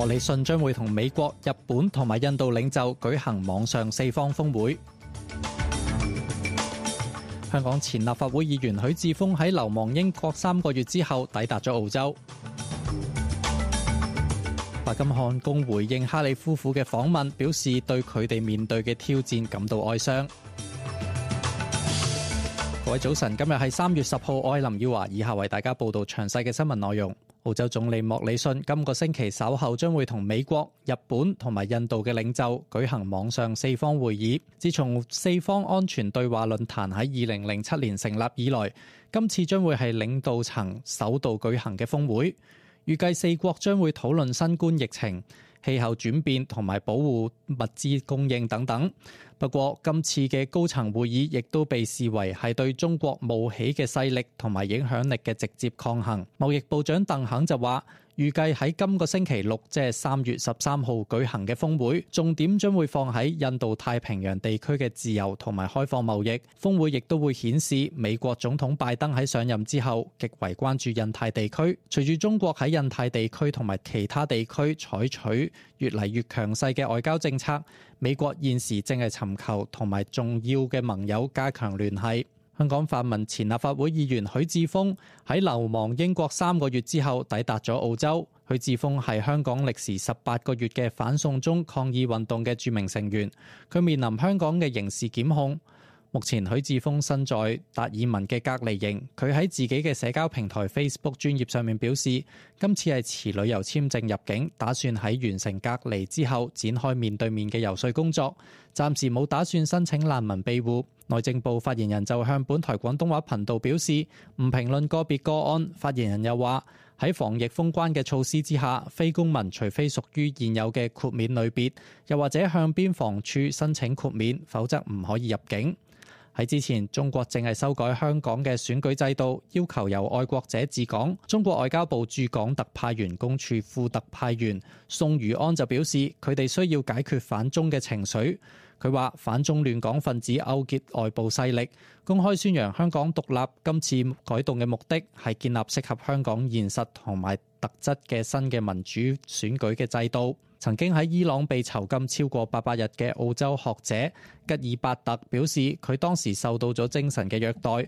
莫里遜將會同美國、日本同埋印度領袖舉行網上四方峰會。香港前立法會議員許智峯喺流亡英國3個月之後抵達咗澳洲。白金漢宮回應哈里夫婦嘅訪問，表示對佢哋面對嘅挑戰感到哀傷。各位早晨，今日係3月10號，我係林耀華，以下為大家報道詳細嘅新聞內容。澳洲總理莫里遜今個星期稍後將會同美國、日本同埋印度嘅領袖舉行網上四方會議。自從四方安全對話論壇喺2007年成立以來，今次將會係領導層首度舉行嘅峰會。預計四國將會討論新冠疫情、氣候轉變同埋保護物資供應等等。不過，今次嘅高層會議亦都被視為係對中國冒起嘅勢力同埋影響力嘅直接抗衡。貿易部長鄧肯就話，預計喺今個星期六，即係3月13號舉行嘅峰會，重點將會放喺印度太平洋地區嘅自由同埋開放貿易。峰會亦都會顯示美國總統拜登喺上任之後極為關注印太地區。隨住中國喺印太地區同埋其他地區採取越嚟越強勢嘅外交政策，美國現時正係尋求同埋重要嘅盟友加強聯繫。香港泛民前立法會議員許智峯喺流亡英國3個月之後抵達咗澳洲。許智峯係香港歷時18個月嘅反送中抗議運動嘅著名成員，佢面臨香港嘅刑事檢控。目前許智峯身在達爾文嘅隔離營，佢喺自己嘅社交平台 Facebook 專頁上面表示，今次係持旅遊簽證入境，打算喺完成隔離之後展開面對面嘅遊說工作，暫時冇打算申請難民庇護。內政部發言人就向本台廣東話頻道表示，唔評論個別個案。發言人又話，喺防疫封關嘅措施之下，非公民除非屬於現有嘅豁免類別，又或者向邊防處申請豁免，否則唔可以入境。喺之前，中國正係修改香港嘅選舉制度，要求由愛國者治港。中國外交部駐港特派員公署副特派員宋如安就表示，佢哋需要解決反中嘅情緒。佢話反中亂港分子勾結外部勢力，公開宣揚香港獨立。今次改動嘅目的係建立適合香港現實同埋特質嘅新嘅民主選舉嘅制度。曾經喺伊朗被囚禁超過800日嘅澳洲學者吉爾伯特表示，佢當時受到咗精神嘅虐待。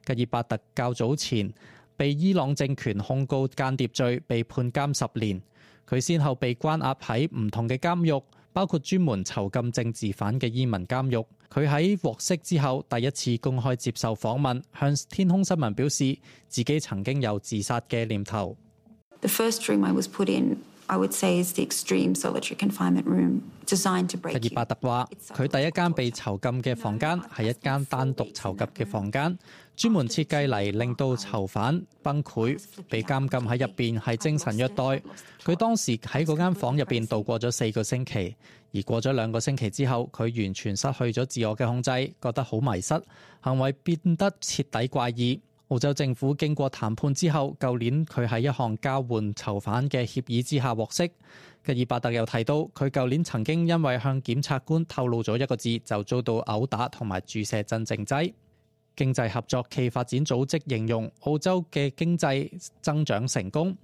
吉爾伯特較早前被伊朗政權控告間諜罪，被判監10年。佢先後被關押喺唔同嘅監獄，包括專門囚禁政治犯嘅伊民監獄。佢喺獲釋之後第一次公開接受訪問，向天空新聞表示自己曾經有自殺嘅念頭。The first room I was put in, I would say, is the extreme solitary confinement room designed to break you. 吉爾伯特話，佢第一間被囚禁嘅房間係一間單獨囚禁嘅房間，專門設計嚟令到囚犯崩潰，被監禁喺入邊係精神虐待。佢當時喺嗰間房入邊度過咗4個星期，而過咗2個星期之後，佢完全失去咗自我嘅控制，覺得好迷失，行為變得徹底怪異。澳洲政府經過談判之後，舊年佢喺一項交換囚犯嘅協議之下獲釋。吉爾伯特又提到，佢舊年曾經因為向檢察官透露咗一個字，就遭到毆打同埋注射鎮靜劑。經濟合作暨發展組織形容澳洲嘅經濟增長成功。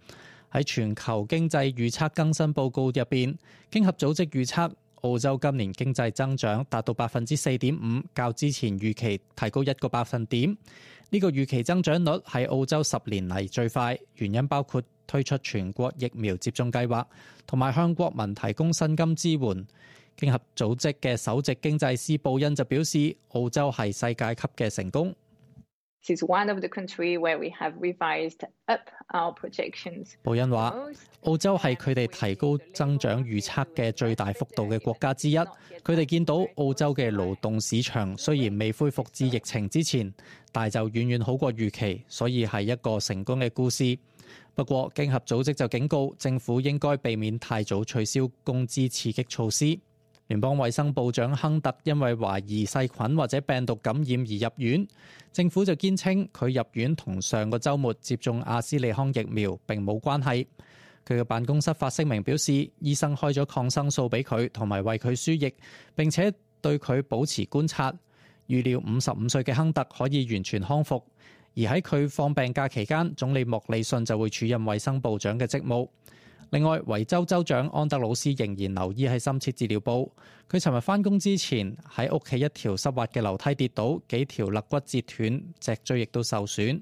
喺全球經濟預測更新報告入邊，經合組織預測澳洲今年經濟增長達到 4.5%， 較之前預期提高1個百分點。呢個預期增長率係澳洲10年嚟最快，原因包括推出全國疫苗接種計劃，同埋向國民提供薪金支援。經合組織嘅首席經濟師布恩就表示，澳洲係世界級嘅成功。This is one of the countries where we have revised up our projections. 布恩話，澳洲係佢哋提高增長預測嘅最大幅度嘅國家之一。佢哋見到澳洲嘅勞動市場雖然未恢復至疫情之前，但就遠遠好過預期，所以係一個成功嘅故事。不過，經合組織就警告政府應該避免太早取消工資刺激措施。聯邦衛生部長亨特因為懷疑細菌或者病毒感染而入院，政府就堅稱佢入院同上個週末接種阿斯利康疫苗並冇關係。佢嘅辦公室發聲明表示，醫生開咗抗生素俾佢同埋為佢輸液，並且對佢保持觀察。預料55歲嘅亨特可以完全康復，而喺佢放病假期間，總理莫里遜就會署任衛生部長嘅職務。另外，維州州長安德魯斯仍然留醫喺深切治療部。佢尋日返工之前喺屋企一條濕滑嘅樓梯跌倒，幾條肋骨折斷，脊椎亦都受損。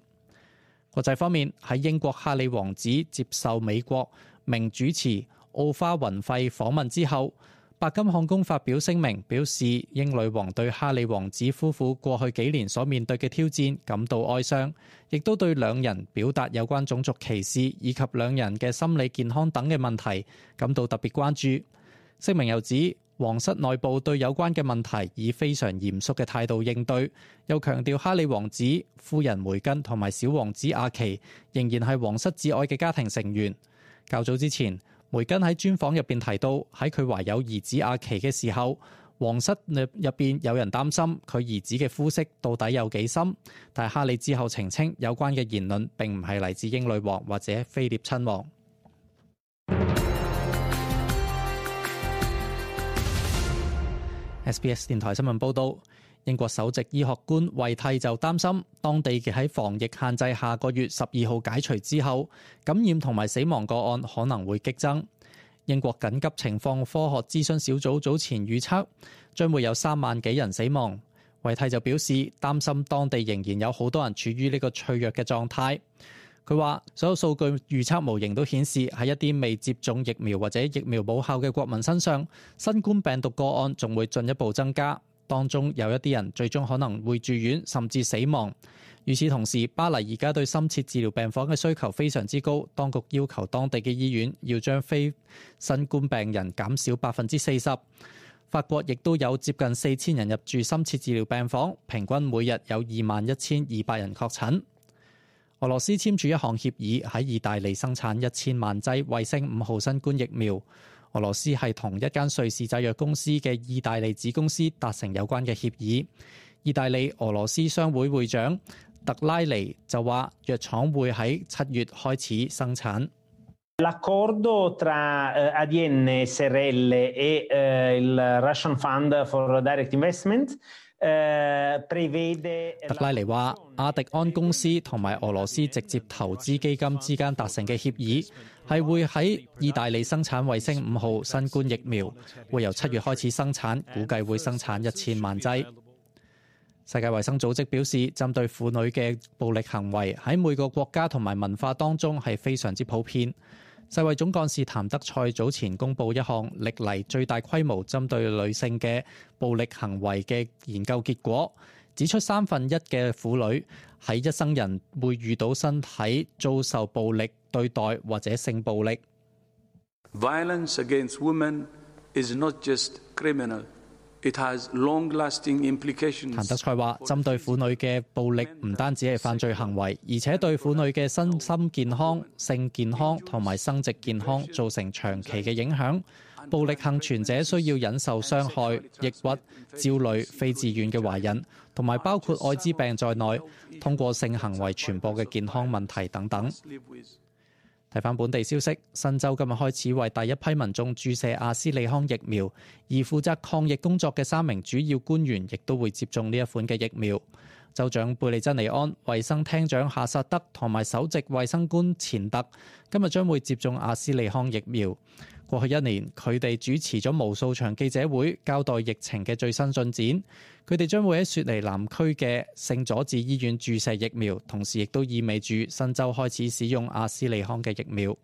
國際方面，喺英國哈里王子接受美國名主持奧花雲費訪問之後，白金漢宮發表聲明，表示英女王對哈里王子夫婦過去幾年所面對嘅挑戰感到哀傷，亦都對兩人表達有關種族歧視以及兩人嘅心理健康等嘅問題感到特別關注。聲明又指，皇室內部對有關嘅問題以非常嚴肅嘅態度應對，又強調哈里王子、夫人梅根同埋小王子阿奇仍然係皇室至愛嘅家庭成員。較早之前，梅根喺專訪入邊提到，喺佢懷有兒子阿奇嘅時候，皇室入邊有人擔心佢兒子嘅膚色到底有幾深，但係哈里之後澄清有關嘅言論並唔係嚟自英女王或者菲臘親王。SBS 電台新聞報導，英國首席醫學官惠蒂就擔心，當地嘅喺防疫限制下個月12號解除之後，感染同埋死亡個案可能會激增。英國緊急情況科學諮詢小組早前預測，將會有3萬幾人死亡。惠蒂就表示，擔心當地仍然有好多人處於呢個脆弱嘅狀態。佢話：所有數據預測模型都顯示，喺一啲未接種疫苗或者疫苗冇效嘅國民身上，新冠病毒個案仲會進一步增加。當中有一啲人最終可能會住院，甚至死亡。與此同時，巴黎而家對深切治療病房嘅需求非常之高，當局要求當地嘅醫院要將非新冠病人減少40%。法國亦都有接近4000人入住深切治療病房，平均每日有21,200人確診。俄羅斯簽署一項協議，喺意大利生產1000萬劑衛星5號新冠疫苗。俄羅斯係同一間瑞士製藥公司嘅意大利子公司達成有關嘅協議。意大利俄羅斯商會會長特拉尼就話，藥廠會喺7月開始生產。L'accordo tra ADN SRL e il Russian Fund for Direct Investment特拉尼話，阿迪安公司同埋俄羅斯直接投資基金之間達成嘅協議，係會喺意大利生產衛星5號新冠疫苗，會由7月開始生產，估計會生產1000萬劑。世界衛生組織表示，針對婦女嘅暴力行為喺每個國家同埋文化當中係非常之普遍。世衛總幹事譚德塞早前公布一項歷嚟最大規模針對女性嘅暴力行為嘅研究結果，指出1/3嘅婦女喺一生人會遇到身體遭受暴力對待或者性暴力。Violence against women is not just criminal. It has long-lasting implications. 譚德塞話：針對婦女嘅暴力唔單止係犯罪行為，而且對婦女嘅身心健康、性健康同埋生殖健康造成長期嘅影響。暴力幸存者需要忍受傷害、抑鬱、焦慮、非自願嘅懷孕，同埋包括愛滋病在內，通過性行為傳播嘅健康問題等等。睇返本地消息，新州今日開始為第一批民眾注射阿斯利康疫苗，而負責抗疫工作嘅3名主要官員亦都會接種呢一款嘅疫苗。州長貝利珍尼安、衛生廳長夏薩德同埋首席衛生官錢特今日將會接種阿斯利康疫苗。過去1年，佢哋主持咗無數場記者會，交代疫情嘅最新進展。佢哋將會喺雪梨南區嘅聖佐治醫院注射疫苗，同時亦都意味住新州開始使用阿斯利康嘅疫苗。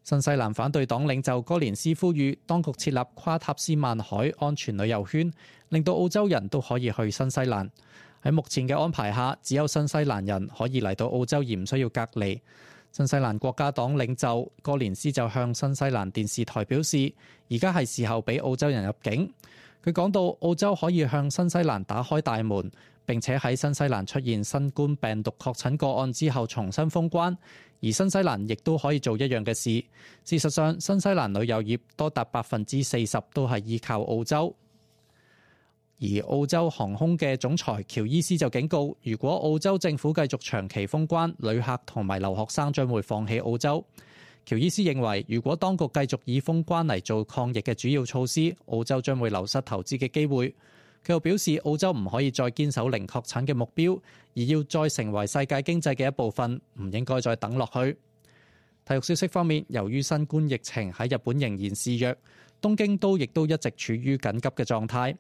新西蘭反對黨領袖哥連斯呼籲當局設立跨塔斯曼海安全旅遊圈，令到澳洲人都可以去新西蘭。喺目前嘅安排下，只有新西蘭人可以嚟到澳洲而唔需要隔離。新西蘭國家黨領袖哥連斯就向新西蘭電視台表示，而家係時候俾澳洲人入境。佢講到澳洲可以向新西蘭打開大門，並且喺新西蘭出現新冠病毒確診個案之後重新封關，而新西蘭亦都可以做一樣嘅事。事實上，新西蘭旅遊業多達40%都係依靠澳洲。而澳洲航空嘅總裁喬伊斯就警告，如果澳洲政府繼續長期封關，旅客同埋留學生將會放棄澳洲。喬伊斯認為，如果當局繼續以封關嚟做抗疫嘅主要措施，澳洲將會流失投資嘅機會。佢又表示，澳洲唔可以再堅守零確診嘅目標，而要再成為世界經濟嘅一部分，唔應該再等落去。體育消息方面，由於新冠疫情喺日本仍然肆虐，東京都亦都一直處於緊急嘅狀態。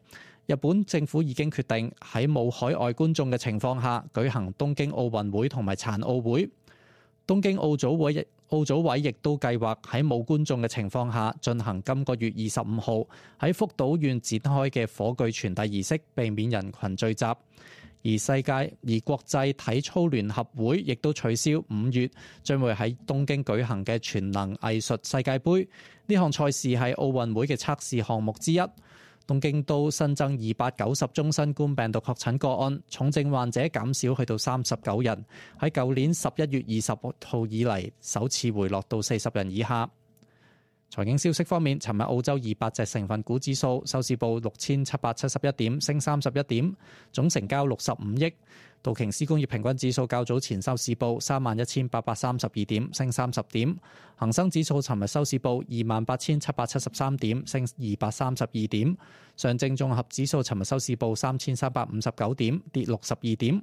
日本政府已經決定喺冇海外觀眾嘅情況下舉行東京奧運會同埋殘奧會。東京奧組委亦都計劃喺冇觀眾嘅情況下進行今個月25號喺福島縣展開嘅火炬傳遞儀式，避免人群聚集。而國際體操聯合會亦都取消5月將會喺東京舉行嘅全能藝術世界盃。呢項賽事係奧運會嘅測試項目之一。東京都新增290宗新冠病毒確診個案，重症患者減少去到39人，喺舊年11月20號以嚟首次回落到40人以下。財經消息方面，尋日澳洲200隻成分股指數收市報6771點，升31點，總成交65億。道瓊斯工業平均指數較早前收市報31832點，升30點。恒生指數尋日收市報28773點，升232點。上證綜合指數尋日收市報3359點，跌62點。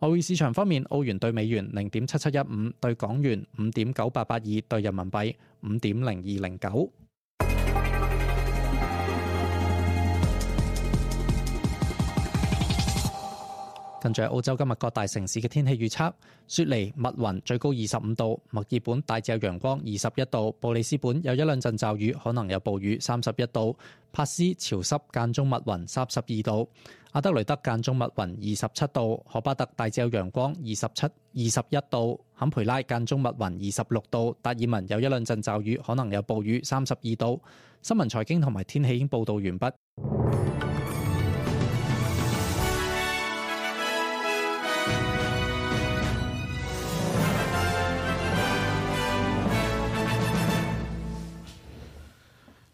外匯市場方面，澳元對美元0.7715，對港元5.9882，對人民幣5.0209。跟住澳洲今日各大城市嘅天氣預測：雪梨密雲，最高25度；墨爾本大致有陽光，21度；布里斯本有一兩陣驟雨，可能有暴雨，31度；帕斯潮濕間中密雲，32度；阿德雷德間中密雲，27度；荷巴特大致有陽光，21度；坎培拉間中密雲，26度；達爾文有一兩陣驟雨，可能有暴雨，32度。新聞財經同埋天氣已經報導完畢。